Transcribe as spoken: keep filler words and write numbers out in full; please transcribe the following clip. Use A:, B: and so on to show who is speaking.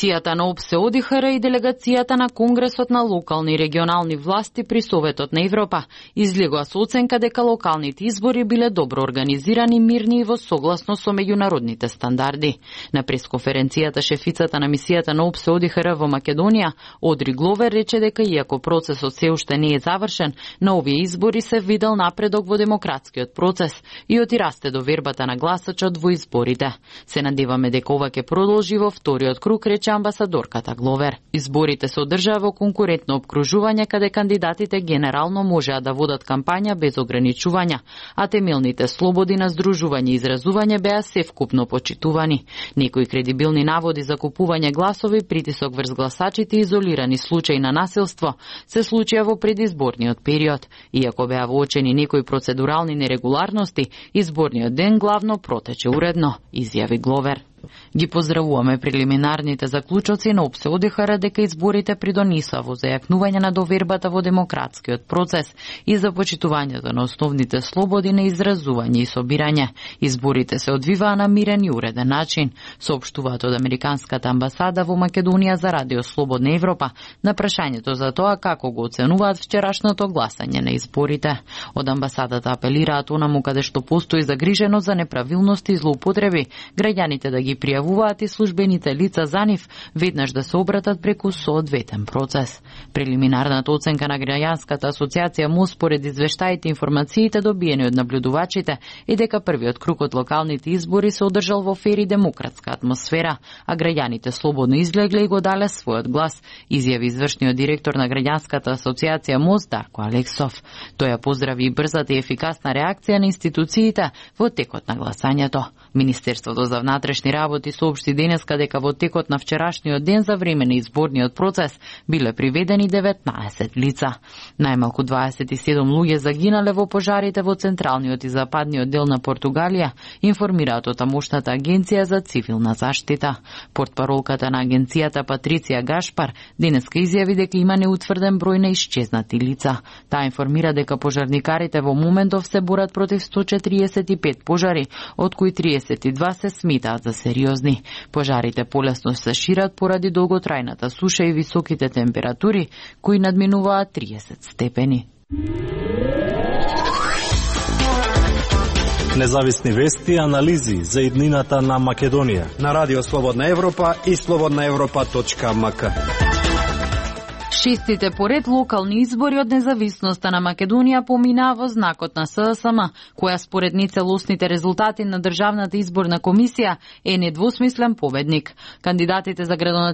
A: Мисијата на ОПСЕ О Д Х Р и делегацијата на Конгресот на локални и регионални власти при Советот на Европа излегоа со оценка дека локалните избори биле добро организирани, мирни и во согласно со меѓународните стандарди. На пресконференцијата шефицата на мисијата на ОПСЕ О Д Х Р во Македонија, Одри Гловер, рече дека иако процесот се уште не е завршен, на овие избори се видел напредок во демократскиот процес и оти расте довербата на гласачот во изборите. Се надеваме дека ова ќе продолжи во вториот круг, рече амбасадорката Гловер. Изборите се одржаа во конкурентно опкружување каде кандидатите генерално можеа да водат кампања без ограничувања, а темелните слободи на здружување и изразување беа севкупно почитувани. Некои кредибилни наводи за купување гласови, притисок врз гласачите и изолирани случаи на насилство се случија во предизборниот период. Иако беа воочени некои процедурални нерегуларности, изборниот ден главно протече уредно, изјави Гловер. Ги поздравуваме прелиминарните заклучоци на ОПСЕ О Д Х Р дека изборите придонесоа во зајакнување на довербата во демократскиот процес и за почитувањето на основните слободи на изразување и собирање. Изборите се одвиваа на мирен и уреден начин, соопштуваат од Американската амбасада во Македонија за Радио Слободна Европа на прашањето за тоа како го оценуваат вчерашното гласање на изборите. Од амбасадата апелираат онаму каде што постои загриженост за неправилности и злоупотреби, граѓаните да ги пријавуваат и службените лица за нив веднаш да се обратат преку соодветен процес. Прелиминарната оценка на граѓанската асоциација МОС според извештаите и информациите добиени од наблюдувачите е дека првиот круг од локалните избори се одржал во фер и демократска атмосфера, а граѓаните слободно излегле и го дале својот глас, изјави извршниот директор на граѓанската асоциација МОС Дарко Алексов. Тој ја поздрави и брзата и ефикасна реакција на институциите во текот на гласањето. Министерството за внатрешни работи соопшти денеска дека во текот на вчерашниот ден за време на изборниот процес биле приведени деветнаесет лица. Најмалку дваесет и седум луѓе загинале во пожарите во централниот и западниот дел на Португалија, информираат од тамошната агенција за цивилна заштита. Портпаролката на агенцијата Патриција Гашпар денеска изјави дека има неутврден број на исчезнати лица. Таа информира дека пожарникарите во моментов се борат против сто четириесет и пет пожари, од кои триесет и два се смитаат за сериозни. Пожарите полесно се шират поради долготрајната суша и високите температури, кои надминуваат триесет степени.
B: Независни вести и анализи за иднината на Македонија
C: на Радио Слободна Европа и слободна европа точка ем ка.
A: Шестите поред локални избори од независноста на Македонија поминаа во знакот на С С М, која според нецелосните резултати на Државната изборна комисија е недвосмислен победник. Кандидатите за градоначелник